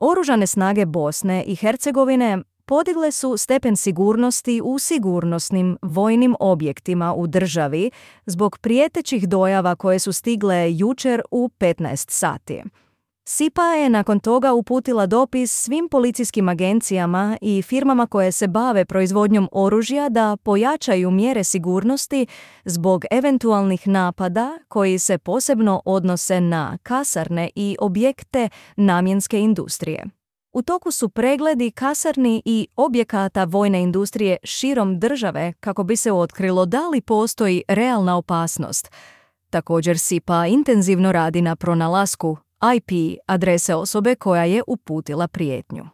Oružane snage Bosne i Hercegovine podigle su stepen sigurnosti u sigurnosnim vojnim objektima u državi zbog prijetećih dojava koje su stigle jučer u 15 sati. SIPA je nakon toga uputila dopis svim policijskim agencijama i firmama koje se bave proizvodnjom oružja da pojačaju mjere sigurnosti zbog eventualnih napada koji se posebno odnose na kasarne i objekte namjenske industrije. U toku su pregledi kasarni i objekata vojne industrije širom države kako bi se otkrilo da li postoji realna opasnost. Također SIPA intenzivno radi na pronalasku IP adrese osobe koja je uputila prijetnju.